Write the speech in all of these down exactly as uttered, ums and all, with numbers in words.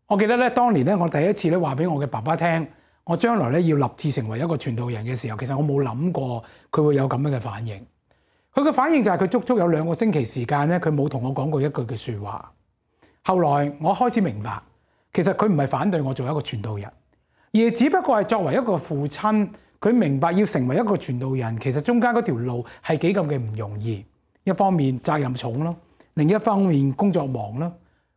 我記得咧，當年咧，我第一次咧話俾我嘅爸爸聽，我將來咧要立志成為一個傳道人嘅時候，其實我冇諗過佢會有咁樣嘅反應。佢嘅反應就係佢足足有兩個星期時間咧，佢冇同我講過一句嘅説話。後來我開始明白，其實佢唔係反對我做一個傳道人，而只不過係作為一個父親，佢明白要成為一個傳道人，其實中間嗰條路係幾咁嘅唔容易。一方面責任重咯，另一方面工作忙咯。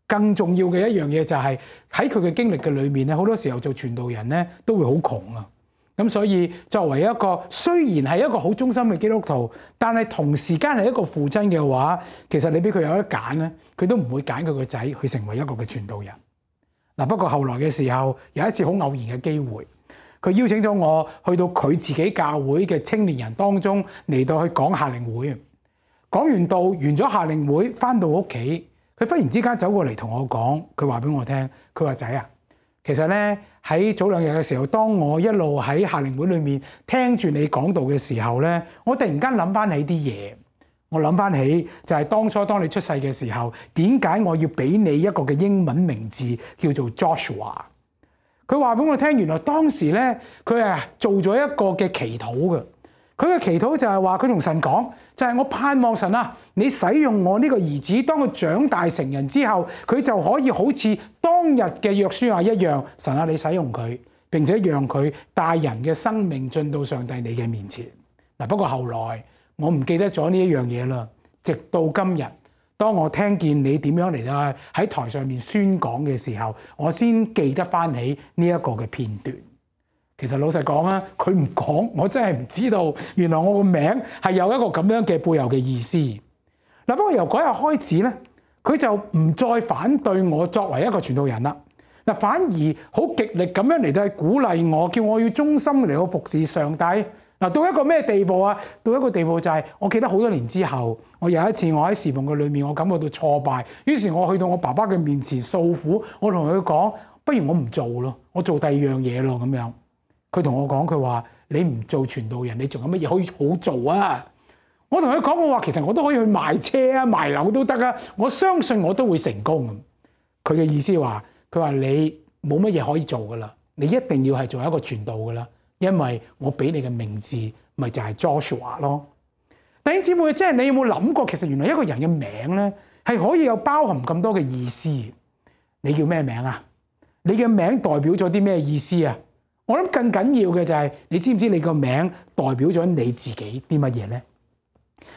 更重要嘅一樣嘢就係喺佢嘅經歷嘅裏面咧，好多時候做傳道人咧都會好窮啊。咁所以作為一個雖然係一個好忠心嘅基督徒，但係同時間係一個父親嘅話，其實你俾佢有得揀咧，佢都唔會揀佢個仔去成為一個嘅傳道人。嗱，不過後來嘅時候有一次好偶然嘅機會，佢邀請咗我去到佢自己教會嘅青年人當中嚟到去講夏令會。講完道完咗夏令會，翻到屋企。佢忽然之間走過嚟同我講，佢話俾我聽，佢話仔啊，其實咧喺早兩日嘅時候，當我一路喺夏令會裏面聽住你講道嘅時候咧，我突然間諗翻起啲嘢，我諗翻起就係當初當你出世嘅時候，點解我要俾你一個嘅英文名字叫做 Joshua？ 佢話俾我聽，原來當時咧佢係做咗一個嘅祈禱嘅。佢嘅祈禱就係話佢同神講，就係我盼望神啊，你使用我呢個兒子，當佢長大成人之後，佢就可以好似當日嘅約書亞一樣，神啊，你使用佢，並且讓佢帶人嘅生命進到上帝你嘅面前。嗱，不過後來我唔記得咗呢一樣嘢啦，直到今日，當我聽見你點樣嚟到喺台上面宣講嘅時候，我先記得翻起呢一個嘅片段。其實老實講啊，佢唔講，我真係唔知道原來我個名係有一個咁樣嘅背後嘅意思。嗱，不過由嗰日開始咧，佢就唔再反對我作為一個傳道人啦。嗱，反而好極力咁樣嚟到去鼓勵我，叫我要忠心嚟到服侍上帝。嗱，到一個咩地步啊？到一個地步就係，我記得好多年之後，我有一次我喺侍奉嘅裏面，我感覺到挫敗，於是我去到我爸爸嘅面前訴苦，我同佢講，不如我唔做咯，我做第二樣嘢咯咁樣。佢同我講，佢話你唔做傳道人，你仲有乜嘢可以好做啊？我同佢講，我話其實我都可以去賣車啊、賣樓都得啊，我相信我都會成功。佢嘅意思話，佢話你冇乜嘢可以做噶啦，你一定要係做一個傳道噶啦，因為我俾你嘅名字咪就係 Joshua 咯。弟兄姊妹，即係你有冇諗過，其實原來一個人嘅名咧係可以有包含咁多嘅意思。你叫咩名啊？你嘅名代表咗啲咩意思啊？我諗更緊要嘅就係，你知唔知你個名代表咗你自己啲乜嘢咧？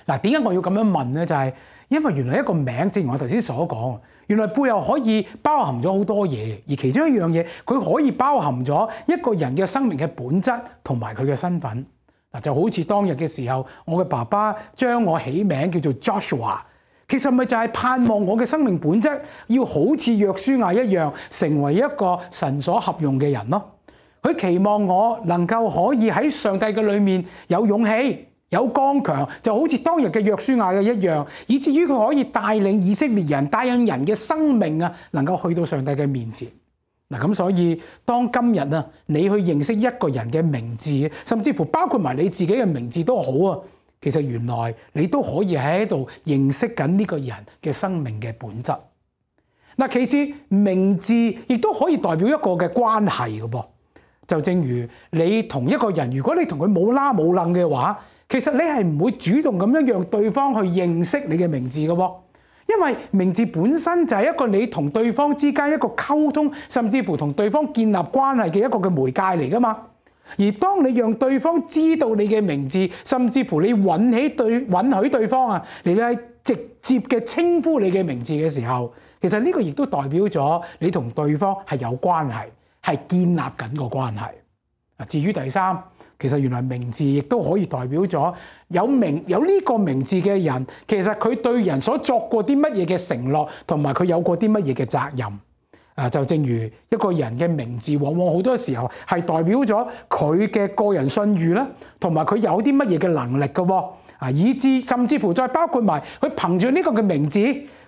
嗱，點解我要咁樣問咧？就係因為原來一個名，正如我頭先所講，原來背後可以包含咗好多嘢，而其中一樣嘢，佢可以包含咗一個人嘅生命嘅本質同埋佢嘅身份。嗱，就好似當日嘅時候，我嘅爸爸將我起名叫做 Joshua， 其實咪就係盼望我嘅生命本質要好似約書亞一樣，成為一個神所合用嘅人咯。佢期望我能夠可以喺上帝嘅裏面有勇氣、有剛強，就好似當日嘅約書亞嘅一樣，以至於佢可以帶領以色列人、帶領人嘅生命啊，能夠去到上帝嘅面前。嗱，咁所以當今日啊，你去認識一個人嘅名字，甚至乎包括埋你自己嘅名字都好啊，其實原來你都可以喺度認識緊呢個人嘅生命嘅本質。嗱，其次名字亦都可以代表一個嘅關係嘅噃。就正如你同一個人，如果你同佢冇拉冇楞嘅話，其實你係唔會主動咁樣讓對方去認識你嘅名字嘅喎，因為名字本身就係一個你同對方之間一個溝通，甚至乎同對方建立關係嘅一個嘅媒介嚟噶嘛。而當你讓對方知道你嘅名字，甚至乎你允起對允許對方啊，你係直接嘅稱呼你嘅名字嘅時候，其實呢個亦都代表咗你同對方係有關係。係建立緊個關係。至於第三，其實原來名字亦都可以代表咗有名有呢個名字嘅人，其實佢對人所作過啲乜嘢嘅承諾，同埋佢有過啲乜嘢嘅責任。啊，就正如一個人嘅名字，往往好多時候係代表咗佢嘅個人信譽啦，同埋佢有啲乜嘢嘅能力嘅喎。啊，以至甚至乎再包括埋佢憑住呢個嘅名字，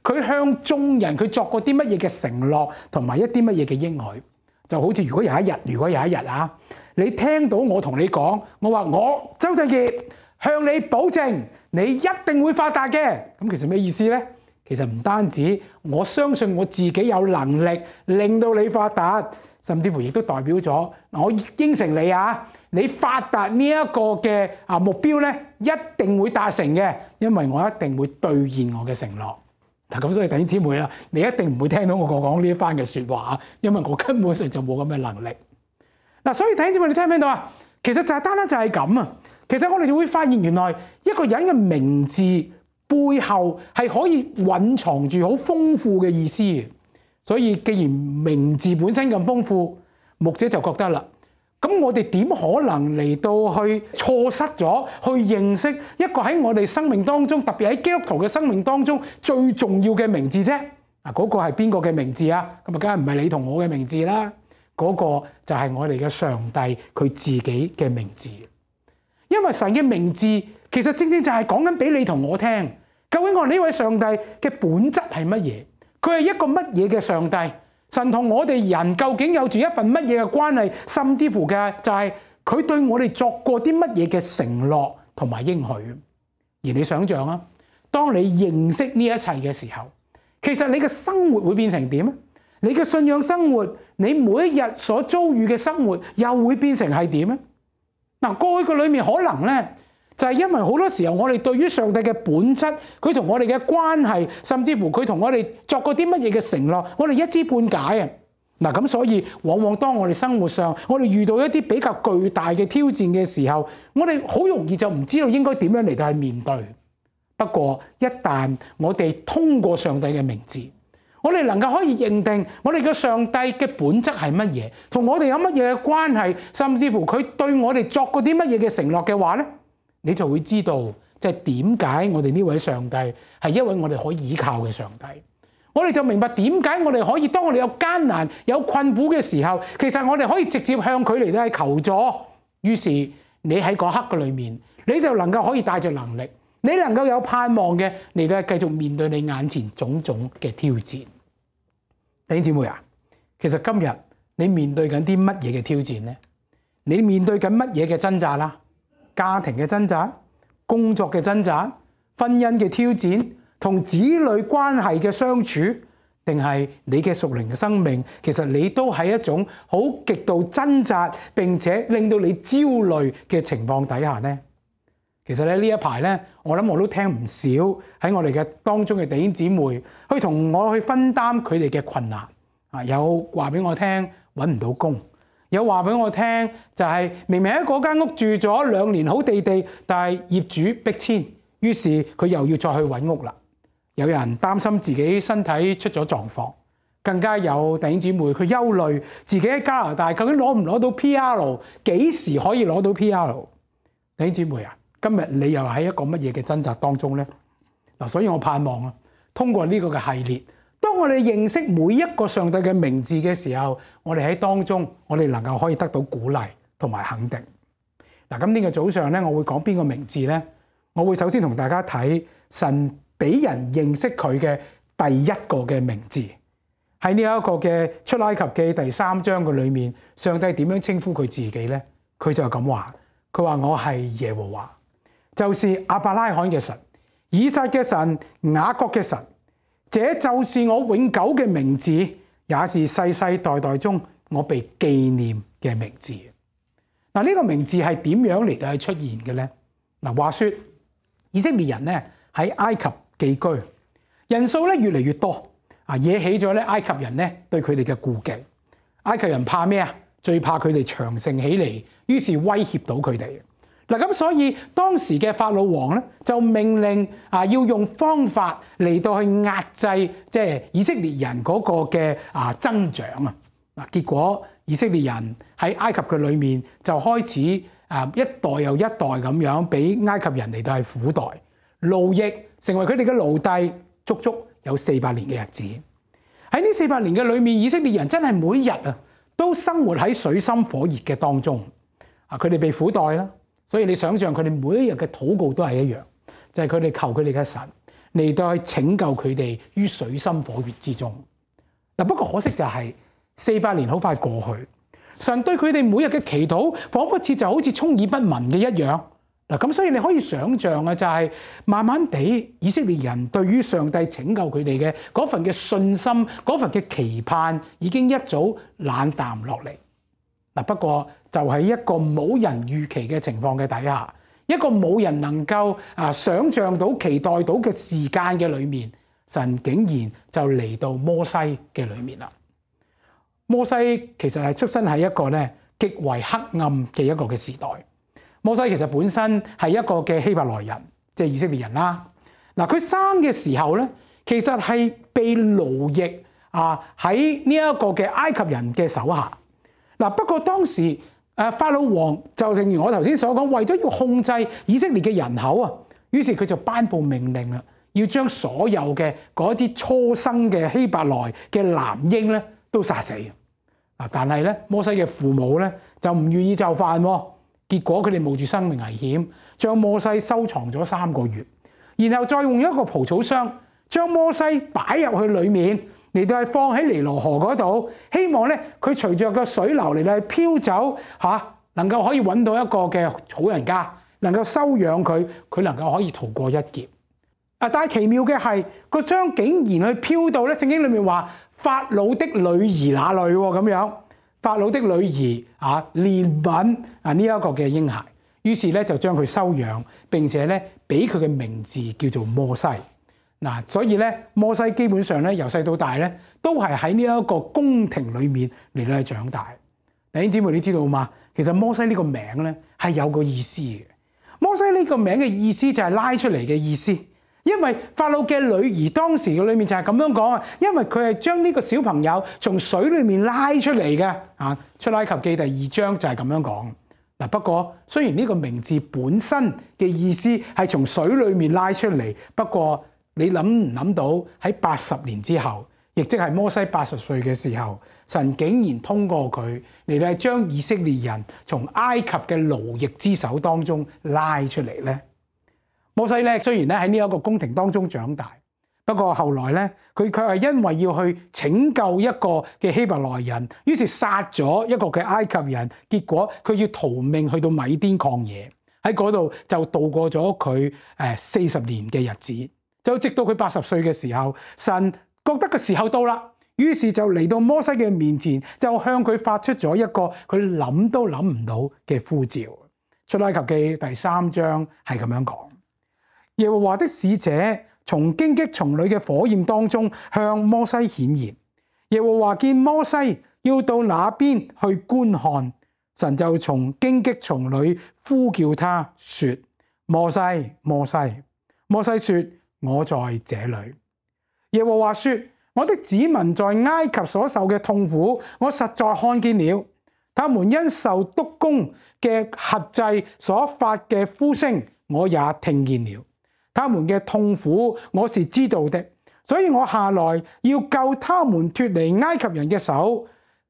佢向眾人佢作過啲乜嘢嘅承諾，同埋一啲乜嘢嘅應許。就好似如果有一日，如果有一日啊，你聽到我同你講，我話我周振傑向你保證，你一定會發達嘅。咁其實咩意思咧？其實唔單止，我相信我自己有能力令到你發達，甚至乎亦都代表咗我應承你啊，你發達呢一個嘅啊目標咧，一定會達成嘅，因為我一定會兌現我嘅承諾。嗱咁所以弟兄姊妹啦，你一定唔會聽到我講呢一番嘅説話，因為我根本上就冇咁嘅能力。嗱，所以弟兄姊妹，你聽唔聽到啊？其實就係單單就係咁啊！其實我哋就會發現，原來一個人嘅名字背後係可以蘊藏住好豐富嘅意思嘅。所以既然名字本身咁豐富，牧者就覺得啦，咁我哋點可能嚟到去錯失咗去認識一個喺我哋生命當中，特別喺基督徒嘅生命當中最重要嘅名字啫？嗱，嗰個係邊個嘅名字啊？咁啊，梗係唔係你同我嘅名字啦？嗰個就係我哋嘅上帝佢自己嘅名字。因為神嘅名字其實正正就係講緊俾你同我聽，究竟我呢位上帝嘅本質係乜嘢？佢係一個乜嘢嘅上帝？神同我哋人究竟有住一份乜嘢嘅關係？甚至乎嘅就係佢對我哋作過啲乜嘢嘅承諾同埋應許。而你想象啊，當你認識呢一切嘅時候，其實你嘅生活會變成點啊？你嘅信仰生活，你每一日所遭遇嘅生活又會變成係點啊？嗱，過去嘅裏面可能咧，就係因為好多時候我哋對於上帝嘅本質，佢同我哋嘅關係，甚至乎佢同我哋作過啲乜嘢嘅承諾，我哋一知半解啊！嗱，咁所以往往當我哋生活上，我哋遇到一啲比較巨大嘅挑戰嘅時候，我哋好容易就唔知道應該點樣嚟到去面對。不過一旦我哋通過上帝嘅名字，我哋能夠可以認定我哋嘅上帝嘅本質係乜嘢，同我哋有乜嘢嘅關係，甚至乎佢對我哋作過啲乜嘢嘅承諾嘅話咧，你就會知道即係點解我哋呢位上帝係一位我哋可以依靠嘅上帝。我哋就明白點解我哋可以當我哋有艱難、有困苦嘅時候，其實我哋可以直接向佢嚟到去求助。於是你喺嗰刻嘅裏面，你就能夠可以帶着能力，你能夠有盼望嘅嚟到繼續面對你眼前種種嘅挑戰。弟兄姊妹啊，其實今日你面對緊啲乜嘢嘅挑戰呢？你面對緊乜嘢嘅掙扎啦？家庭嘅掙扎、工作嘅掙扎、婚姻嘅挑戰、同子女關係嘅相處，定係你嘅屬靈嘅生命？其實你都喺一種好極度掙扎，並且令到你焦慮嘅情況底下呢？其實咧呢一排咧，我諗我都聽唔少喺我哋嘅當中嘅弟兄姊妹去同我去分擔佢哋嘅困難啊！有話俾我聽揾唔到工，有話俾我聽就係明明喺嗰間屋住咗兩年好地地，但係業主逼遷，於是佢又要再去揾屋啦。有人擔心自己身體出咗狀況，更加有弟兄姊妹佢憂慮自己喺加拿大究竟攞唔攞到 P R， 幾時可以攞到 P R？ 弟兄姊妹啊！今日你又喺一個乜嘢嘅掙扎當中呢？嗱，所以我盼望啊，通過呢個嘅系列，當我哋認識每一個上帝嘅名字嘅時候，我哋喺當中，我哋能夠可以得到鼓勵同埋肯定。嗱，今天嘅早上咧，我會講邊個名字呢？我會首先同大家睇神俾人認識佢嘅第一個嘅名字，喺呢一個嘅出埃及記第三章嘅裏面，上帝點樣稱呼佢自己呢？佢就咁話，佢話我係耶和華。就是亞伯拉罕嘅神、以撒嘅神、雅各嘅神，這就是我永久嘅名字，也是世世代代中我被紀念嘅名字。嗱，呢個名字係點樣嚟到係出現嘅咧？嗱，話說以色列人咧喺埃及寄居，人數咧越嚟越多，啊，惹起咗咧埃及人咧對佢哋嘅顧忌。埃及人怕咩啊？最怕佢哋強盛起嚟，於是威脅到佢哋。嗱，咁所以當時嘅法老王咧就命令啊，要用方法嚟到去壓制即係以色列人嗰個嘅啊增長啊。嗱，結果以色列人喺埃及嘅裏面就開始啊一代又一代咁樣俾埃及人嚟到係苦待奴役，成為佢哋嘅奴隸，足足有四百年嘅日子。喺呢四百年嘅裏面，以色列人真係每日啊都生活喺水深火熱嘅當中啊，佢哋被苦待啦。所以你想象佢哋每一日嘅禱告都係一樣，就係佢哋求佢哋嘅神嚟到去拯救佢哋於水深火熱之中。嗱，不過可惜就係四百年好快過去，神對佢哋每日嘅祈禱，彷彿似就好似充耳不聞嘅一樣。嗱，咁所以你可以想像啊，就係慢慢地以色列人對於上帝拯救佢哋嘅嗰份嘅信心、嗰份嘅期盼，已經一早冷淡落嚟。嗱，不過就係一個冇人預期嘅情況嘅底下，一個冇人能夠啊想像到、期待到嘅時間嘅裏面，神竟然就嚟到摩西嘅裏面啦。摩西其實係出生喺一個咧極為黑暗嘅一個嘅時代。摩西其實本身係一個嘅希伯來人，即係以色列人啦。嗱，佢生嘅時候咧，其實係被奴役啊喺呢一個嘅埃及人嘅手下。嗱，不過當時誒法老王就正如我頭先所講，為咗要控制以色列嘅人口啊，於是佢就頒布命令啦，要將所有嘅嗰啲初生嘅希伯來嘅男嬰咧都殺死。嗱，但係咧摩西嘅父母咧就唔願意就範喎。結果佢哋冒住生命危險，將摩西收藏咗三個月，然後再用一個蒲草箱將摩西擺入去裡面，嚟到係放喺尼羅河嗰度，希望咧佢隨着個水流嚟到係飄走嚇，能夠可以揾到一個嘅好人家，能夠收養佢，佢能夠可以逃過一劫。啊！但係奇妙嘅係個箱竟然去飄到咧，聖經裡面話法老的女兒那裡喎咁樣。法老的女兒啊，憐憫啊呢一個嘅嬰孩，於是咧就將佢收養，並且咧俾佢嘅名字叫做摩西。嗱，所以咧摩西基本上咧由細到大咧都係喺呢一個宮廷裏面嚟到去長大。弟兄姊妹，你知道嘛？其實摩西呢個名咧係有個意思嘅。摩西呢個名嘅意思就係拉出嚟嘅意思。因為法老嘅女兒當時嘅裏面就係咁樣講啊，因為佢係將呢個小朋友從水裏面拉出嚟嘅啊，出埃及記第二章就係咁樣講。嗱，不過雖然呢個名字本身嘅意思係從水裏面拉出嚟，不過你諗唔諗到喺八十年之後，亦即係摩西八十歲嘅時候，神竟然通過佢嚟到將以色列人從埃及嘅奴役之手當中拉出嚟咧。摩西咧雖然咧喺呢一個宮廷當中長大，不過後來咧佢卻係因為要去拯救一個嘅希伯來人，於是殺咗一個嘅埃及人，結果佢要逃命去到米甸曠野，喺嗰度就度過咗佢誒四十年嘅日子，就直到佢八十歲嘅時候，神覺得個時候到啦，於是就嚟到摩西嘅面前，就向佢發出咗一個佢諗都諗唔到嘅呼召。出埃及記第三章係咁樣講。耶和華的使者從荊棘叢裏嘅火焰當中向摩西顯現。耶和華見摩西要到那邊去觀看，神就從荊棘叢裏呼叫他說：摩西，摩西。摩西說：我在這裏。耶和華說：我的子民在埃及所受嘅痛苦，我實在看見了。他們因受督工嘅轄制所發嘅呼聲，我也聽見了。他們嘅痛苦我是知道的，所以我下來要救他們脫離埃及人嘅手，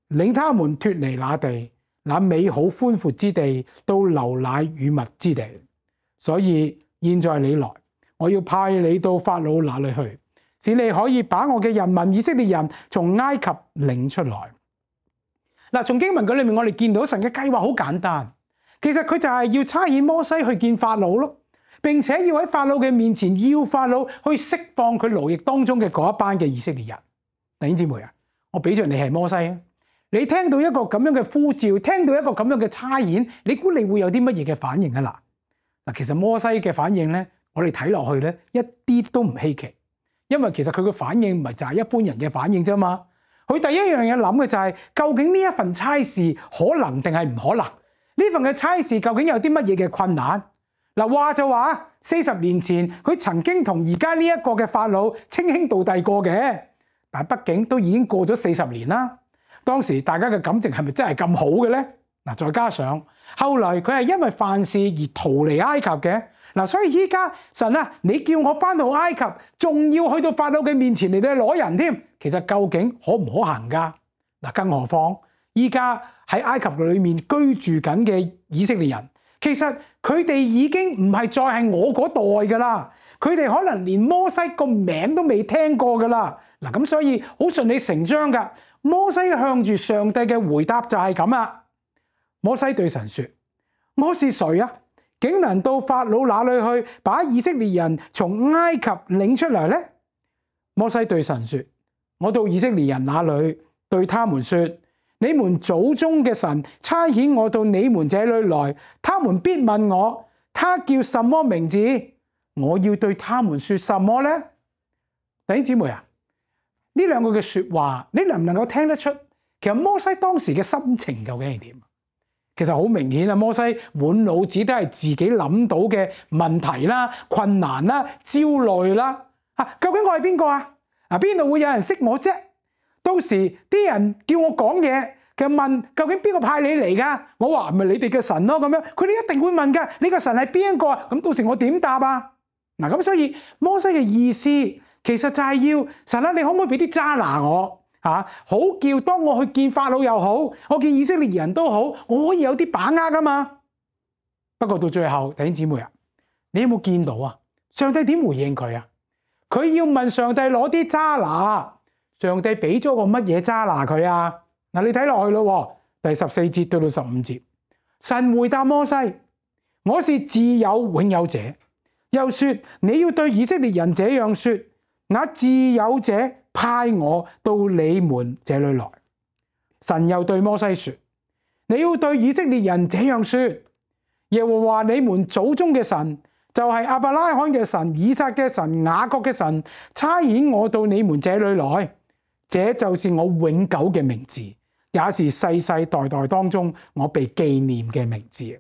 領他們脫離那地，那美好寬闊之地，到流奶與蜜之地。所以現在你來，我要派你到法老那裏去，使你可以把我嘅人民以色列人從埃及領出來。嗱，從經文嗰裏面我哋見到神嘅計劃好簡單，其實佢就係要差遣摩西去見法老咯。並且要喺法老嘅面前，要法老去釋放佢奴役當中嘅嗰一班嘅以色列人。弟兄姊妹啊，我比着你係摩西啊，你聽到一個咁樣嘅呼召，聽到一個咁樣嘅差遣，你估你會有啲乜嘢嘅反應啊？嗱嗱，其實摩西嘅反應咧，我哋睇落去咧一啲都唔稀奇，因為其實佢嘅反應唔係就係一般人嘅反應啫嘛。佢第一樣嘢諗嘅就係，究竟呢一份差事可能定係唔可能？呢份嘅差事究竟有啲乜嘢嘅困難？嗱，話就話四十年前佢曾經同而家呢一個嘅法老稱兄道弟過嘅，但係畢竟都已經過咗四十年啦。當時大家嘅感情係咪真係咁好嘅咧？嗱，再加上後來佢係因為犯事而逃離埃及嘅，嗱，所以依家神啊，你叫我翻到埃及，仲要去到法老嘅面前嚟到攞人添，其實究竟可唔可行噶？嗱，更何況依家喺埃及裏面居住緊嘅以色列人，其實佢哋已經唔係再係我嗰代噶啦，佢哋可能連摩西個名都未聽過噶啦。嗱，咁所以好順理成章噶。摩西向住上帝嘅回答就係咁啦。摩西對神說：我是誰啊？竟能到法老那裏去，把以色列人從埃及領出來呢？摩西對神說：我到以色列人那裏，對他們說：你們祖宗嘅神差遣我到你們這裏來，他們必問我，他叫什麼名字？我要對他們說什麼呢？弟兄姊妹啊，呢兩個嘅說話，你能唔能夠聽得出？其實摩西當時嘅心情究竟係點？其實好明顯啊，摩西滿腦子都係自己諗到嘅問題啦、困難啦、焦慮啦。啊，究竟我係邊個啊？啊，邊度會有人識我啫？到時啲人叫我講嘢，佢問究竟邊個派你嚟噶？我話咪你哋嘅神咯，咁樣佢哋一定會問噶。你個神係邊個啊？咁到時我點答啊？嗱，咁所以摩西嘅意思其實就係要神啊，你可唔可以俾啲揸拿我？啊、好叫當我去見法老又好，我見以色列人都好，我可以有啲把握噶嘛。不過到最後，弟兄姊妹啊，你有冇見到啊？上帝點回應佢啊？佢要問上帝攞啲揸拿，上帝俾咗個乜嘢揸拿佢啊？嗱，你睇落去咯，第十四節到到十五節，神回答摩西：我是自有永有者。又說你要對以色列人這樣說，那自有者派我到你們這裏來。神又對摩西說：你要對以色列人這樣說，耶和華你們祖宗嘅神，就係亞伯拉罕嘅神、以撒嘅神、雅各嘅神，差遣我到你們這裏來。這就是我永久嘅名字，也是世世代代當中我被紀念嘅名字。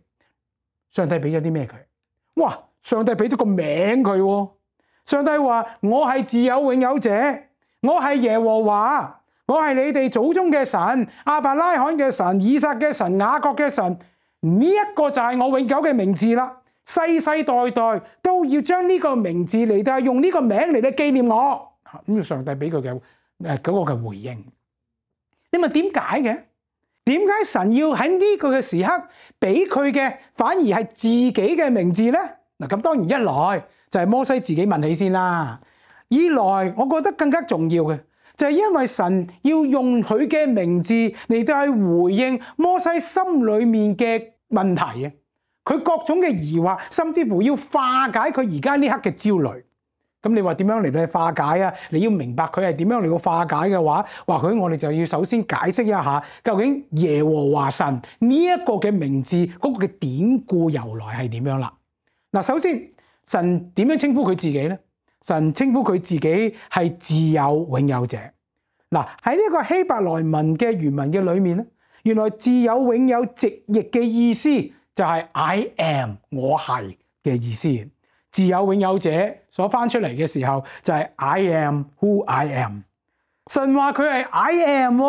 上帝俾咗啲咩佢？哇！上帝俾咗個名佢。上帝話：我係自有永有者，我係耶和華，我係你哋祖宗嘅神，亞伯拉罕嘅神、以撒嘅神、雅各嘅神。呢一個就係我永久嘅名字啦，世世代代都要將呢個名字嚟到用呢個名嚟到紀念我。咁上帝俾佢嘅誒嗰個嘅回應。你問點解嘅？點解神要喺呢個嘅時刻俾佢嘅反而係自己嘅名字呢？嗱，咁當然一來就係摩西自己問起先啦，二來我覺得更加重要嘅就係因為神要用佢嘅名字嚟到去回應摩西心裏面嘅問題啊，佢各種嘅疑惑，甚至乎要化解佢而家呢刻嘅焦慮。咁你話點樣嚟到去化解啊？你要明白佢係點樣嚟到化解嘅話，或許我哋就要首先解釋一下究竟耶和華神呢一個嘅名字嗰個嘅典故由來係點樣啦。嗱，首先神點樣稱呼佢自己呢？神稱呼佢自己係自有永有者。嗱，喺呢個希伯來文嘅原文嘅裏面咧，原來自有永有直譯嘅意思就係 I am 我係嘅意思。自有永有者所翻出嚟嘅時候就係 I am who I am。神話佢係 I am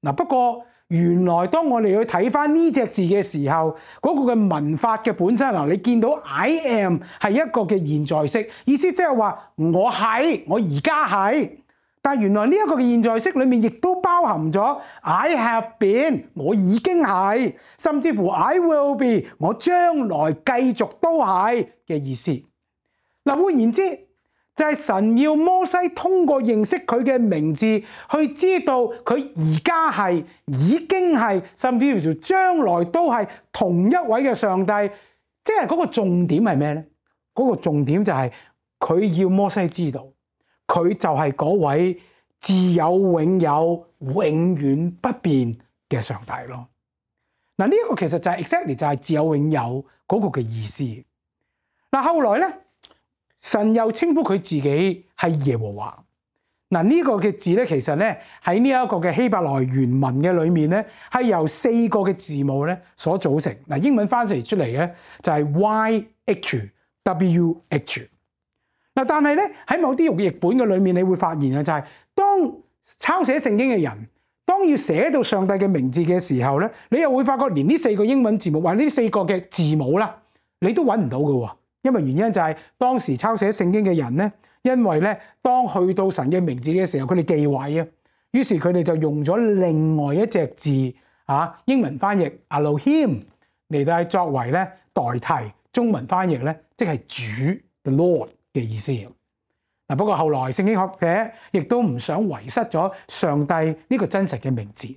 嗱，不過原來當我哋去睇翻呢隻字嘅時候，嗰個嘅文法嘅本身啊，你見到 I am 係一個嘅現在式，意思即係話我係，我而家係。但係原來呢一個嘅現在式裏面亦都包含咗 I have been， 我已經係，甚至乎 I will be， 我將來繼續都係嘅意思。嗱，換言之，就係神要摩西通過認識佢嘅名字，去知道佢而家係、已經係，甚至乎將來都係同一位嘅上帝。即係嗰個重點係咩呢？嗰個重點就係佢要摩西知道，佢就係嗰位自有永有、永遠不變嘅上帝咯。嗱，呢一個其實就係 exactly 就係自有永有嗰個嘅意思。嗱，後來咧，神又稱呼佢自己係耶和華。嗱，呢個嘅字咧，其實咧喺呢一個嘅希伯來原文嘅裏面咧，係由四個嘅字母咧所組成。嗱，英文翻譯出嚟咧就係 Y H W H。嗱，但係咧喺某啲譯本嘅裏面，你會發現啊，就係當抄寫聖經嘅人，當要寫到上帝嘅名字嘅時候咧，你又會發覺連呢四個英文字母或者呢四個嘅字母啦，你都揾唔到嘅喎。因為原因就係當時抄寫聖經嘅人咧，因為咧當去到神嘅名字嘅時候，佢哋忌諱啊，於是佢哋就用咗另外一隻字啊，英文翻譯 Elohim 嚟到作為咧代替中文翻譯咧，即係主 the Lord 嘅意思。嗱，不過後來聖經學者亦都唔想遺失咗上帝呢個真實嘅名字。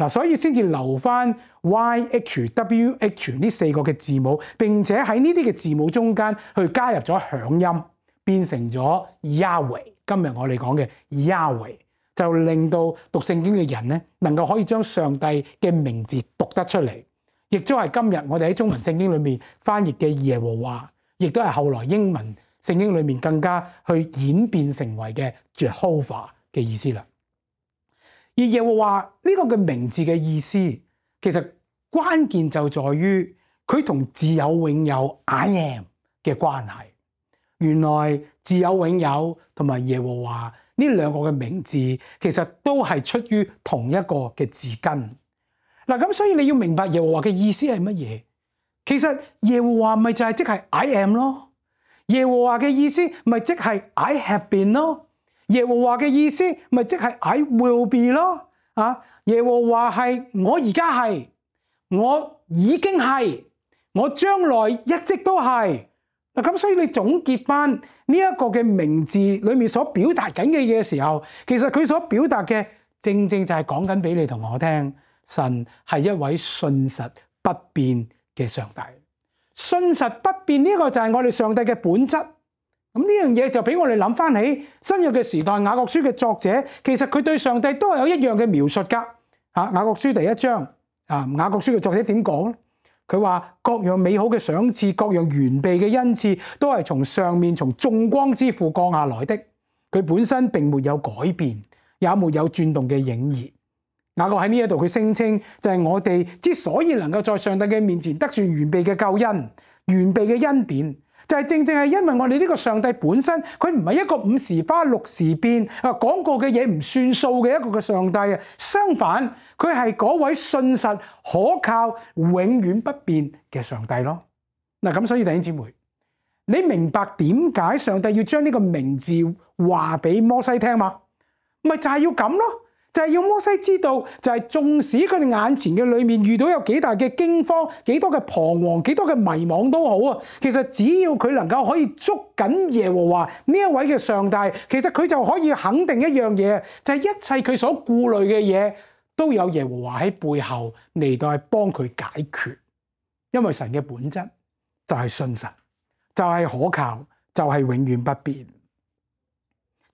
嗱，所以先至留翻 Y H W H 呢四個嘅字母，並且喺呢啲嘅字母中間去加入咗響音，變成咗 Yahweh。今日我哋講嘅 Yahweh 就令到讀聖經嘅人咧，能夠可以將上帝嘅名字讀得出嚟，亦都係今日我哋喺中文聖經裏面翻譯嘅耶和華，亦都係後來英文聖經裏面更加去演變成為嘅 Jehovah 嘅意思啦。而耶和華呢個嘅名字嘅意思，其實關鍵就在於佢同自有永有 I am 嘅關係。原來自有永有同埋耶和華呢兩個嘅名字，其實都係出於同一個嘅字根。嗱，咁所以你要明白耶和華嘅意思係乜嘢？其實耶和華咪就係即係 I am 咯。耶和華嘅意思咪即係 I have been 咯。耶和華嘅意思咪即係 I will be 咯。啊，耶和華係我而家係，我已經係，我將來一直都係。嗱，咁所以你總結翻呢一個嘅名字裏面所表達緊嘅嘢嘅時候，其實佢所表達嘅正正就係講緊俾你同我聽，神係一位信實不變嘅上帝。信實不變呢個就係我哋上帝嘅本質。咁呢樣嘢就俾我哋諗翻起新約嘅時代，雅各書嘅作者其實佢對上帝都係有一樣嘅描述噶。吓，雅各書第一章啊，雅各書嘅作者點講咧？佢話各樣美好嘅賞賜，各樣完備嘅恩賜，都係從上面從眾光之父降下來的。佢本身並沒有改變，也沒有轉動嘅影兒。雅各喺呢一度佢聲稱就係我哋之所以能夠在上帝嘅面前得算完備嘅救恩、完備嘅恩典，就係正正係因為我哋呢個上帝本身，佢唔係一個五時花六時變啊，講過嘅嘢唔算數嘅一個嘅上帝啊。相反，佢係嗰位信實可靠、永遠不變嘅上帝咯。嗱，咁所以弟兄姊妹，你明白點解上帝要將呢個名字話俾摩西聽嘛？咪就係要咁咯。就係要摩西知道，就係縱使佢哋眼前嘅裏面遇到有幾大嘅驚慌、幾多嘅彷徨、幾多嘅迷惘都好啊。其實只要佢能夠可以捉緊耶和華呢一位嘅上帝，其實佢就可以肯定一樣嘢，就係一切佢所顧慮嘅嘢都有耶和華喺背後嚟到係幫佢解決。因為神嘅本質就係信實，就係可靠，就係永遠不變。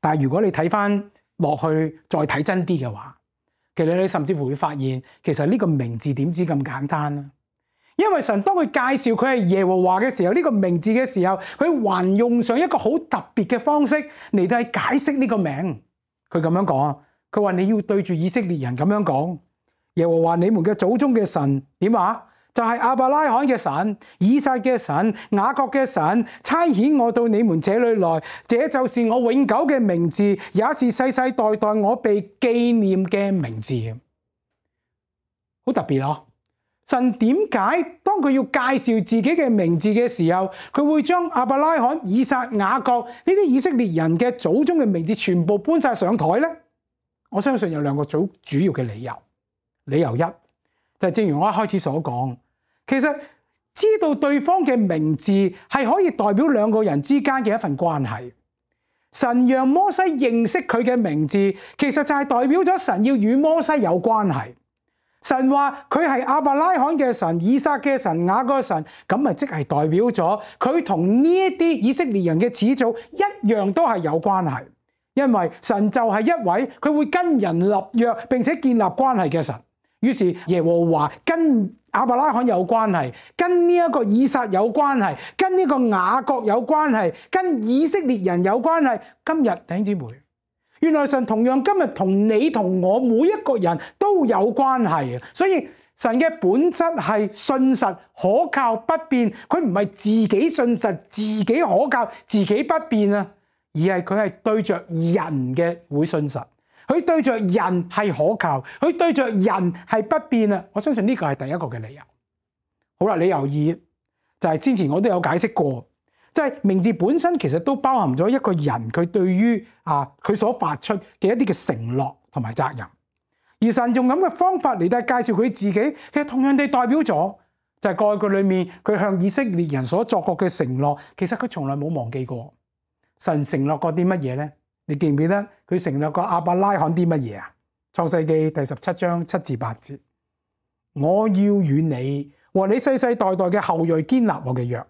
但係如果你睇翻落去再睇真啲嘅話，其實你甚至乎會發現，其實呢個名字點知咁簡單啊？因為神當佢介紹佢係耶和華嘅時候，呢個名字嘅時候，佢還用上一個好特別嘅方式嚟到去解釋呢個名。佢咁樣講，佢話你要對住以色列人咁樣講，耶和華你們嘅祖宗嘅神點啊？就係亞伯拉罕嘅神、以撒嘅神、雅各嘅神，差遣我到你們這裏來，這就是我永久嘅名字，也是世世代代我被紀念嘅名字。好特別啊！神點解當佢要介紹自己嘅名字嘅時候，佢會將亞伯拉罕、以撒、雅各呢啲以色列人嘅祖宗嘅名字全部搬晒上台呢？我相信有兩個最主要嘅理由。理由一就係正如我一開始所講。其實知道對方嘅名字係可以代表兩個人之間嘅一份關係。神讓摩西認識佢嘅名字，其實就係代表咗神要與摩西有關係。神話佢係亞伯拉罕嘅神、以撒嘅神、雅各嘅神，咁咪即係代表咗佢同呢一啲以色列人嘅始祖一樣都係有關係。因為神就係一位佢會跟人立約並且建立關係嘅神。於是耶和華跟亞伯拉罕有關係，跟呢一個以撒有關係，跟呢個雅各有關係，跟以色列人有關係。今日弟兄姊妹，原來神同樣今日同你同我每一個人都有關係。所以神嘅本質係信實可靠不變，佢唔係自己信實、自己可靠、自己不變啊，而係佢係對着人嘅會信實。佢對着人係可靠，佢對着人係不變啊！我相信呢個係第一個嘅理由。好啦，理由二就係之前我都有解釋過，即係名字本身其實都包含咗一個人佢對於啊佢所發出嘅一啲嘅承諾同埋責任。而神用咁嘅方法嚟到介紹佢自己，其實同樣地代表咗就係過去裏面佢向以色列人所作過嘅承諾，其實佢從來冇忘記過。神承諾過啲乜嘢咧？你記唔記得佢承諾過亞伯拉罕啲乜嘢啊？創世記第十七章七至八節，我要與你和你世世代代嘅後裔堅立我嘅約，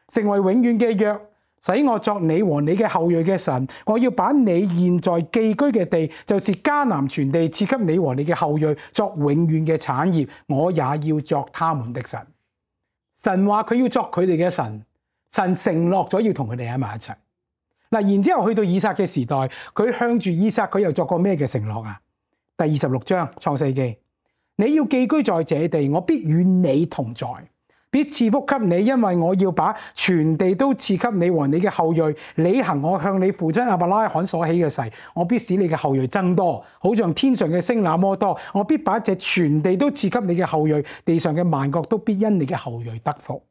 成為永遠嘅約，使我作你和你嘅後裔嘅神。我要把你現在寄居嘅地，就是迦南全地，賜給你和你嘅後裔作永遠嘅產業，我也要作他們的神。神話佢要作佢哋嘅神，神承諾咗要同佢哋喺埋一齊。嗱，然之後去到以撒嘅時代，佢向住以撒，佢又作過咩嘅承諾啊？第二十六章創世記，你要寄居在這地，我必與你同在，必賜福給你，因為我要把全地都賜給你和你嘅後裔，履行我向你父親亞伯拉罕所起嘅誓，我必使你嘅後裔增多，好像天上嘅星那麼多。我必把這全地都賜給你嘅後裔，地上嘅萬國都必因你嘅後裔得福。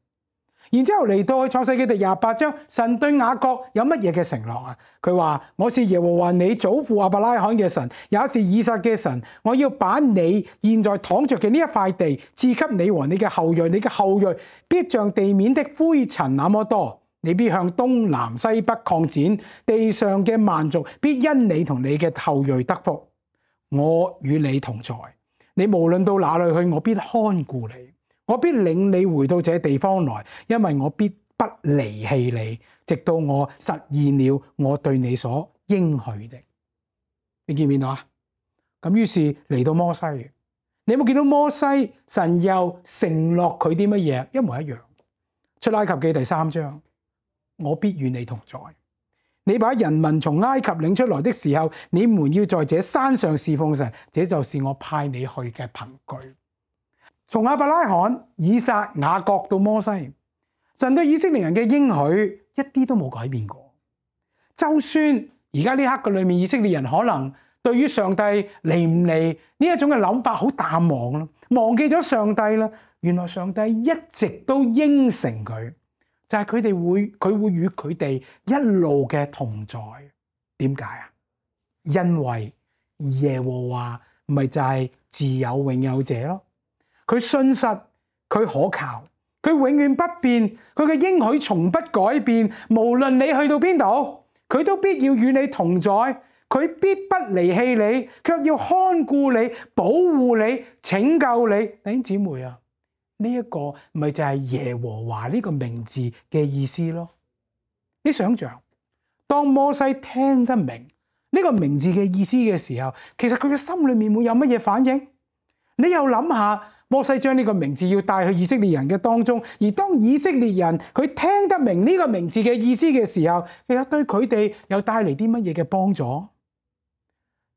然之後嚟到去創世記第廿八章，神對雅各有乜嘢嘅承諾啊？佢話：我是耶和華你祖父亞伯拉罕嘅神，也是以撒嘅神。我要把你現在躺着嘅呢一塊地賜給你和你嘅後裔，你嘅後裔必像地面的灰塵那麼多，你必向東南西北擴展，地上嘅萬族必因你同你嘅後裔得福。我與你同在，你無論到哪裏去，我必看顧你。我必領你回到這地方來，因為我必不離棄你，直到我實現了我對你所應許的。你見唔見到啊？咁於是嚟到摩西，你有冇見到摩西？神又承諾佢啲乜嘢？一模一樣。出埃及記第三章，我必與你同在。你把人民從埃及領出來的時候，你們要在這山上侍奉神，這就是我派你去嘅憑據。從亞伯拉罕、以撒、雅各到摩西，神對以色列人嘅應許一啲都冇改變過。就算而家呢刻嘅裏面，以色列人可能對於上帝嚟唔嚟呢一種嘅諗法好淡忘啦，忘記咗上帝啦。原來上帝一直都應承佢，就係佢哋會佢會與佢哋一路嘅同在。點解啊？因為耶和華咪就係自有永有者咯。佢信實，佢可靠，佢永遠不變，佢嘅應許從不改變。無論你去到邊度，佢都必要與你同在，佢必不離棄你，卻要看顧你、保護你、拯救你。弟兄姊妹啊，呢一個咪就係耶和華呢個名字嘅意思咯。你想象，當摩西聽得明呢個名字嘅意思嘅時候，其實佢嘅心裏面會有乜嘢反應？你又諗下。摩西將呢個名字要帶去以色列人嘅當中，而當以色列人佢聽得明呢個名字嘅意思嘅時候，其實對佢哋又帶嚟啲乜嘢嘅幫助？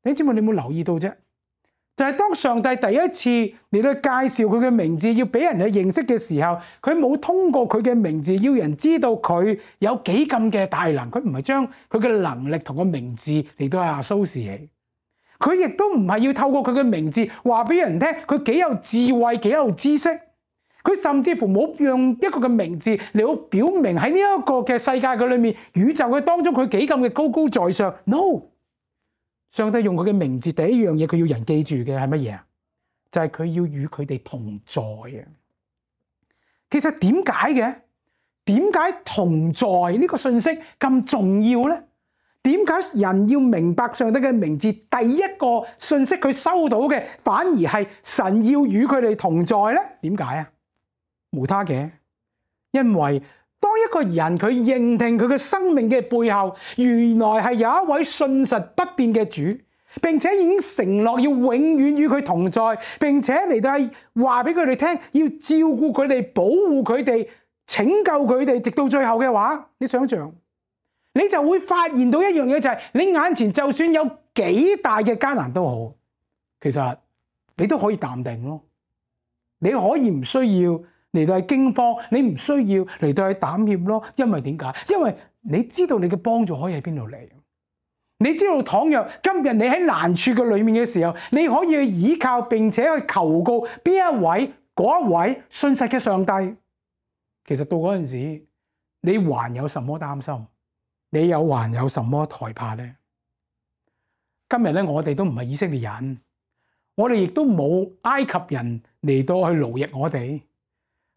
你知唔知你有冇留意到啫？就係當上帝第一次嚟到介紹佢嘅名字，要俾人去認識嘅時候，佢冇通過佢嘅名字要人知道佢有幾咁嘅大能，佢唔係將佢嘅能力同個名字嚟到係 associate。佢亦都唔係要透過佢嘅名字話俾人聽佢幾有智慧、幾有知識。佢甚至乎冇用一個嘅名字嚟到表明喺呢一個嘅世界嘅裏面、宇宙嘅當中佢幾咁嘅高高在上。No， 上帝用佢嘅名字，第一樣嘢佢要人記住嘅係乜嘢啊？就係佢要與佢哋同在啊！其實點解嘅？點解同在呢個信息咁重要咧？點解人要明白上帝嘅名字？第一個信息佢收到嘅，反而係神要與佢哋同在咧？點解啊？無他嘅，因為當一個人佢認定佢嘅生命嘅背後，原來係有一位信實不變嘅主，並且已經承諾要永遠與佢同在，並且嚟到係話俾佢哋聽，要照顧佢哋、保護佢哋、拯救佢哋，直到最後嘅話，你想象？你就會發現到一樣嘢，就係你眼前就算有幾大嘅艱難都好，其實你都可以淡定咯。你可以唔需要嚟到係驚慌，你唔需要嚟到係膽怯咯。因為點解？因為你知道你嘅幫助可以喺邊度嚟。你知道倘若今日你喺難處嘅裏面嘅時候，你可以去依靠並且去求告邊一位嗰一位信實嘅上帝。其實到嗰陣時，你還有什麼擔心？你有還有什麼害怕呢？今日咧，我哋都唔係以色列人，我哋亦都冇埃及人嚟到去奴役我哋。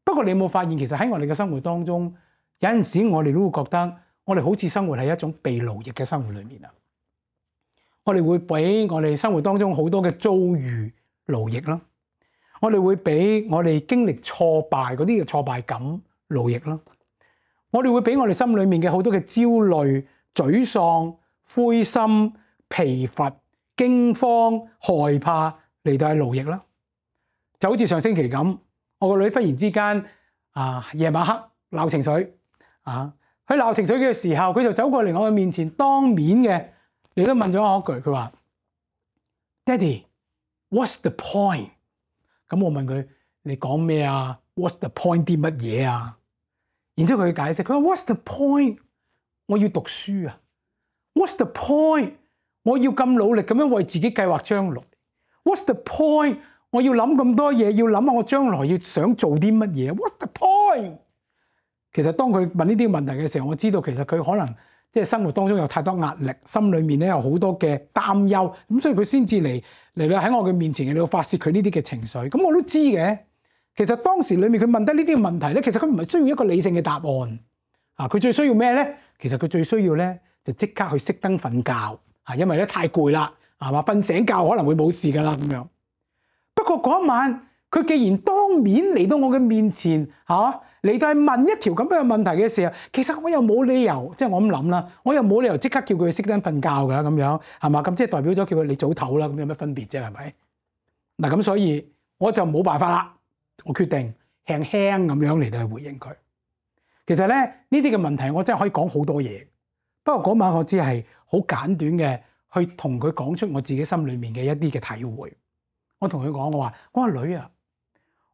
不過你有冇發現，其實喺我哋嘅生活當中，有陣時我哋都會覺得，我哋好似生活喺一種被奴役嘅生活裏面啊！我哋會俾我哋生活當中好多嘅遭遇勞役啦，我哋會俾我哋經歷挫敗嗰啲嘅挫敗感勞役啦，我哋會俾我哋心裏面嘅好多嘅焦慮、沮喪、灰心、疲乏、驚慌、害怕嚟到係勞役啦。就好似上星期咁，我個女忽然之間啊夜晚黑鬧情緒啊，佢鬧情緒嘅時候，佢就走過嚟我嘅面前，當面嘅你都問咗我一句，佢話 Daddy，what's the point？ 咁我問佢你講咩啊 ？What's the point 啲乜嘢啊？然之後佢解釋，佢話 What's the point？ 我要讀書啊 ！What's the point？ 我要咁努力咁樣為自己計劃將來。What's the point？ 我要諗咁多嘢，要諗下我將來要想做啲乜嘢。What's the point？ 其實當佢問呢啲問題嘅時候，我知道其實佢可能即係生活當中有太多壓力，心裏面咧有好多嘅擔憂，咁所以佢先至嚟嚟到喺我嘅面前嚟到發泄佢呢啲嘅情緒。咁我都知嘅。其實當時裏面佢問得呢啲問題咧，其實佢唔係需要一個理性嘅答案啊！佢最需要咩咧？其實佢最需要咧就即刻去熄燈瞓覺啊！因為咧太攰啦，係嘛？瞓醒覺可能會冇事噶啦咁樣。不過嗰一晚，佢既然當面嚟到我嘅面前嚇嚟到係問一條咁樣嘅問題嘅時候，其實我又冇理由，即係我咁諗啦，我又冇理由即刻叫佢熄燈瞓覺㗎咁樣係嘛？咁即係代表咗叫佢你早唞啦，咁有乜分別啫？係咪？嗱咁所以我就冇辦法啦。我決定輕輕咁樣嚟到去回應佢。其實咧呢啲嘅問題我真係可以講好多嘢，不過嗰晚我只係好簡短嘅去同佢講出我自己心裏面嘅一啲嘅體會。我同佢講，我話我話女啊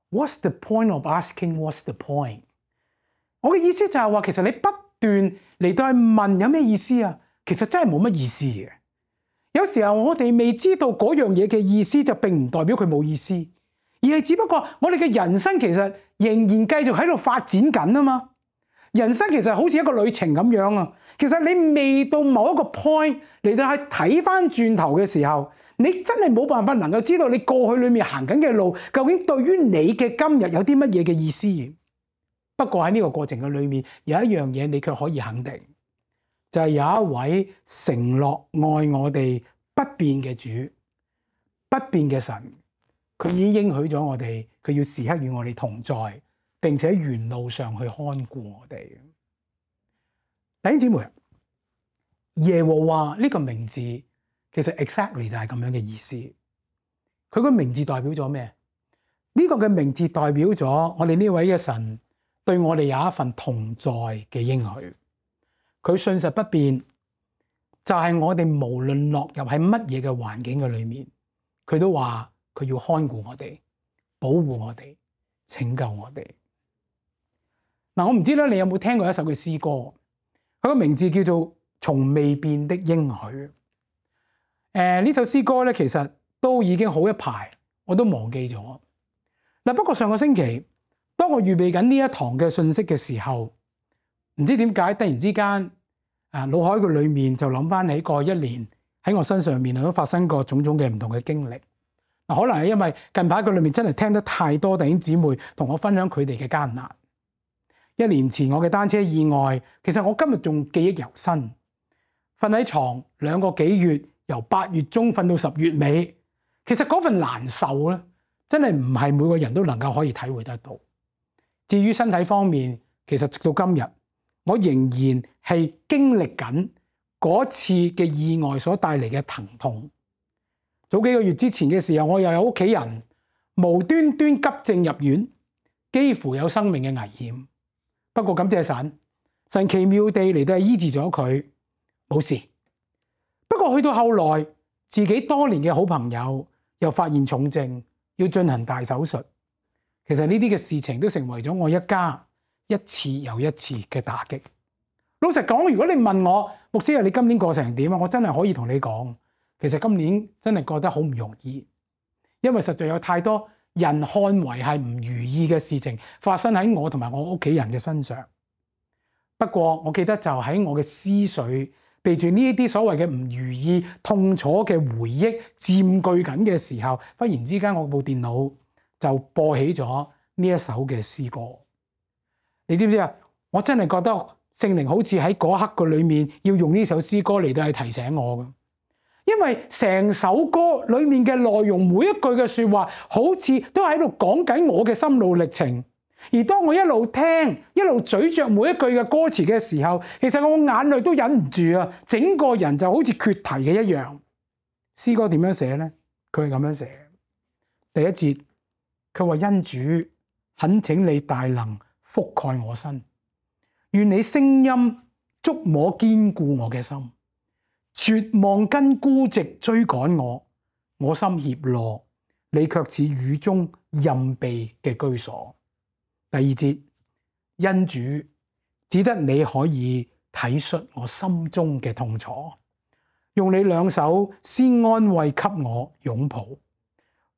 ，What's the point of asking what's the point？ 我嘅意思就係話，其實你不斷嚟到去問有咩意思啊？其實真係冇乜意思嘅。有時候我哋未知道嗰樣嘢嘅意思，就並唔代表佢冇意思。而係只不過我哋嘅人生其實仍然繼續喺度發展緊啊嘛，人生其實好似一個旅程咁樣啊。其實你未到某一個 point 嚟到去睇翻轉頭嘅時候，你真係冇辦法能夠知道你過去裏面行緊嘅路究竟對於你嘅今日有啲乜嘢嘅意思。不過喺呢個過程嘅裏面有一樣嘢你卻可以肯定，就係有一位承諾愛我哋不變嘅主，不變嘅神。佢已經應許咗我哋，佢要時刻與我哋同在，並且沿路上去看顧我哋。弟兄姊妹，耶和華呢個名字其實 exactly 就係咁樣嘅意思。佢個名字代表咗咩？呢個嘅名字代表咗我哋呢位嘅神對我哋有一份同在嘅應許。佢信實不變，就係我哋無論落入喺乜嘢嘅環境嘅裏面，佢都話。佢要看顧我哋，保護我哋，拯救我哋。嗱，我唔知咧，你有冇聽過一首嘅詩歌？佢個名字叫做《從未變的應許》。誒、呃，呢首詩歌咧，其實都已經好一排，我都忘記咗。嗱，不過上個星期，當我預備緊呢一堂嘅信息嘅時候，唔知點解突然之間，啊，腦海嘅裏面就諗翻起過一年喺我身上面都發生過種種嘅唔同嘅經歷。可能係因為近排佢裏面真係聽得太多弟兄姊妹同我分享佢哋嘅艱難。一年前我嘅單車意外，其實我今日仲記憶猶新。瞓喺床兩個幾月，由八月中瞓到十月尾，其實嗰份難受咧，真係唔係每個人都能夠可以體會得到。至於身體方面，其實直到今日，我仍然係經歷緊嗰次嘅意外所帶嚟嘅疼痛。早幾個月之前嘅時候，我又有屋企人無端端急症入院，幾乎有生命嘅危險。不過感謝神，神奇妙地嚟到醫治咗佢，冇事。不過去到後來，自己多年嘅好朋友又發現重症，要進行大手術。其實呢啲嘅事情都成為咗我一家一次又一次嘅打擊。老實講，如果你問我，牧師啊，你今年過成點啊？我真係可以同你講。其實今年真係覺得好唔容易，因為實在有太多人看為係唔如意嘅事情發生喺我同埋我屋企人嘅身上。不過我記得就喺我嘅思緒被住呢一啲所謂嘅唔如意、痛楚嘅回憶佔據緊嘅時候，忽然之間我部電腦就播起咗呢一首嘅詩歌。你知唔知啊？我真係覺得聖靈好似喺嗰刻嘅裏面要用呢首詩歌嚟到去提醒我嘅。因為成首歌裏面嘅內容，每一句嘅說話，好似都喺度講緊我嘅心路歷程。而當我一路聽，一路咀嚼每一句嘅歌詞嘅時候，其實我眼淚都忍唔住啊！整個人就好似缺堤嘅一樣。詩歌點樣寫呢？佢係咁樣寫。第一節，佢話因主懇請你大能覆蓋我身，願你聲音觸摸堅固我嘅心。絕望跟孤寂追趕我，我心怯懦，你卻似雨中蔭庇嘅居所。第二節，因主只得你可以體恤我心中嘅痛楚，用你兩手先安慰給我擁抱，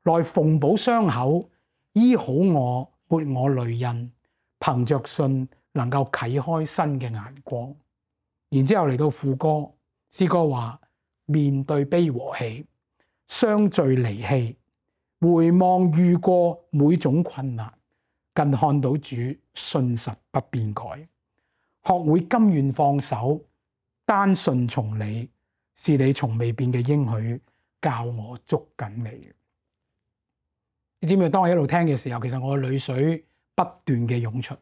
來縫補傷口，醫好我抹我淚印，憑着信能夠啟開新嘅眼光。然之後嚟到副歌，詩歌話面對悲和喜，相聚離棄，回望遇過每種困難，更看到主信實不變改，學會甘願放手，單順從你，是你從未變嘅應許，教我捉緊你。你知唔知？當我一路聽嘅時候，其實我嘅淚水不斷嘅湧出。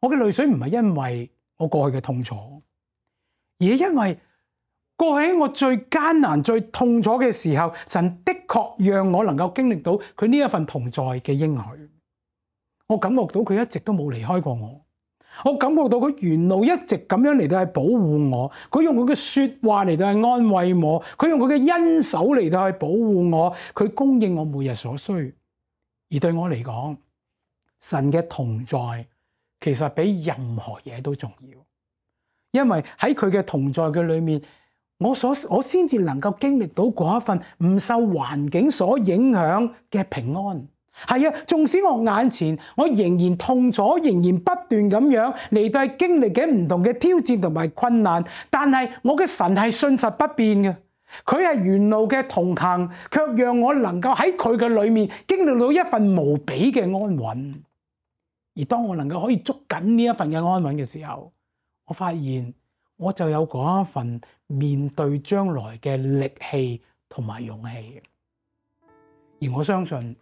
我嘅淚水唔係因為我過去嘅痛楚，而係因為過去喺我最艱難、最痛楚嘅時候，神的確讓我能夠經歷到佢呢一份同在嘅應許。我感覺到佢一直都冇離開過我，我感覺到佢沿路一直咁樣嚟到去保護我，佢用佢嘅說話嚟到去安慰我，佢用佢嘅恩手嚟到去保護我，佢供應我每日所需。而對我嚟講，神嘅同在其實比任何嘢都重要，因為喺佢嘅同在嘅裏面，我所我先至能夠經歷到嗰一份唔受環境所影響嘅平安。係啊，縱使我眼前我仍然痛楚，仍然不斷咁樣嚟到經歷緊唔同嘅挑戰同埋困難，但係我嘅神係信實不變嘅，佢係沿路嘅同行，卻讓我能夠喺佢嘅裏面經歷到一份無比嘅安穩。而當我能夠可以捉緊呢一份嘅安穩嘅時候，我發現我就有嗰一份面對將來嘅力氣同埋勇氣。而我相信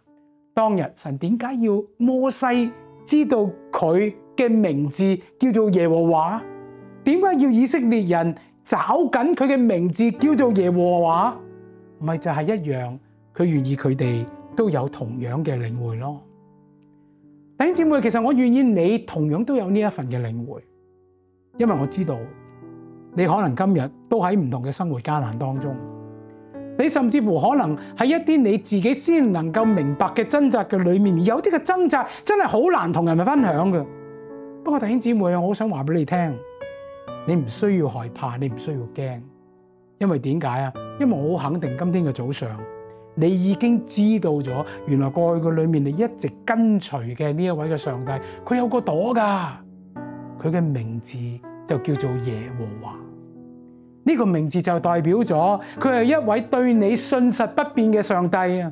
當日神點解要摩西知道佢嘅名字叫做耶和華？點解要以色列人找緊佢嘅名字叫做耶和華？咪就係一樣，佢願意佢哋都有同樣嘅領會咯。弟兄姊妹，其實我願意你同樣都有呢一份嘅領會，因為我知道你可能今日都喺唔同嘅生活艱難當中。你甚至乎可能喺一啲你自己先能夠明白嘅掙扎嘅裏面，有啲嘅掙扎真係好難同人哋分享嘅。不過弟兄姊妹，我好想話俾你聽，你唔需要害怕，你唔需要驚，因為點解啊？因為我好肯定今天嘅早上，你已經知道咗，原來過去嘅裏面你一直跟隨嘅呢一位嘅上帝，佢有個朵噶，佢嘅名字就叫做耶和華。呢個名字就代表咗佢係一位對你信實不變嘅上帝啊！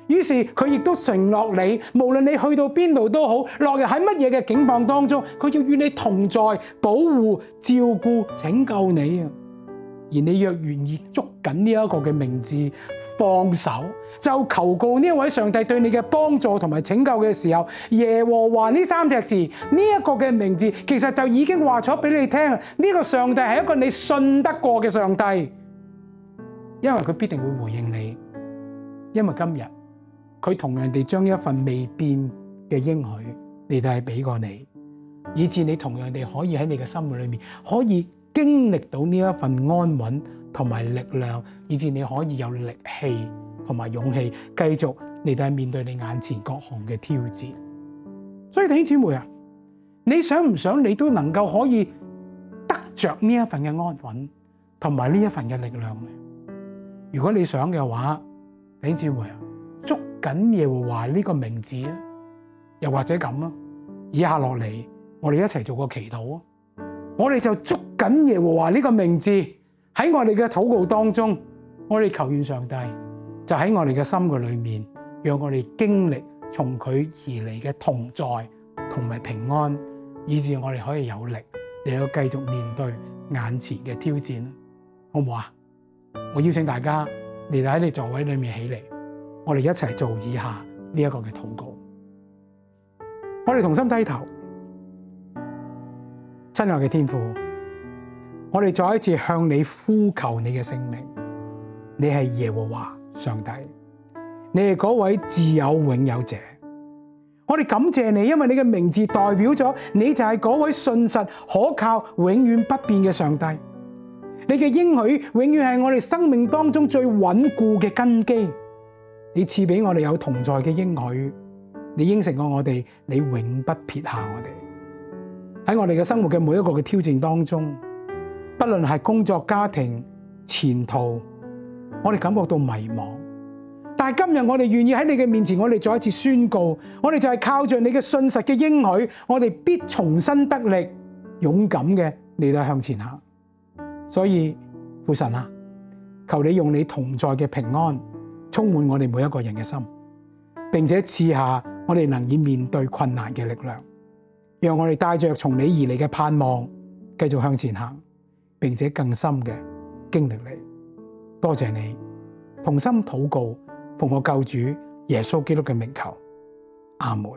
於是佢亦都承諾你，無論你去到邊度都好，落入喺乜嘢嘅境況當中，佢要與你同在，保護、照顧、拯救你啊！而你若願意捉緊呢一個嘅名字，放手就求告呢一位上帝對你嘅幫助同埋拯救嘅時候，耶和華呢三隻字，呢一個嘅名字，其實就已經話咗俾你聽，呢個上帝係一個你信得過嘅上帝，因為佢必定會回應你，因為今日佢同樣地將一份未變嘅應許，你哋係俾過你，以致你同樣地可以喺你嘅心裏面可以經歷到呢一份安穩同埋力量，以致你可以有力氣同埋勇氣繼續嚟到面對你眼前各項嘅挑戰。所以弟兄姊妹啊，你想唔想你都能夠可以得着呢一份嘅安穩同埋呢一份嘅力量呢？如果你想嘅話，弟兄姊妹啊，捉緊耶和華呢個名字啊，又或者咁啊，以下落嚟我哋一齊做個祈禱啊！我哋就捉緊耶和華呢個名字，喺我哋嘅禱告當中，我哋求願上帝就喺我哋嘅心嘅裏面，讓我哋經歷從佢而嚟嘅同在同埋平安，以致我哋可以有力嚟到繼續面對眼前嘅挑戰，好唔好啊？我邀請大家嚟到喺你座位裏面起嚟，我哋一齊做以下呢一個嘅禱告。我哋同心低頭，親愛嘅天父，我哋再一次向你呼求你嘅聖名。你係耶和華上帝，你係嗰位自有永有者。我哋感謝你，因為你嘅名字代表咗你就係嗰位信實可靠、永遠不變嘅上帝。你嘅應許永遠係我哋生命當中最穩固嘅根基。你賜俾我哋有同在嘅應許，你應承過我哋，你永不撇下我哋。喺我哋嘅生活嘅每一個嘅挑戰當中，不論係工作、家庭、前途，我哋感覺到迷茫。但係今日我哋願意喺你嘅面前，我哋再一次宣告，我哋就係靠着你嘅信實嘅應許，我哋必重新得力，勇敢嘅嚟到向前行。所以父神啊，求你用你同在嘅平安充滿我哋每一個人嘅心，並且賜下我哋能以面對困難嘅力量，讓我哋帶着從你而嚟嘅盼望繼續向前行，並且更深嘅經歷你。多謝你，同心禱告，奉我救主耶穌基督嘅名求，阿門。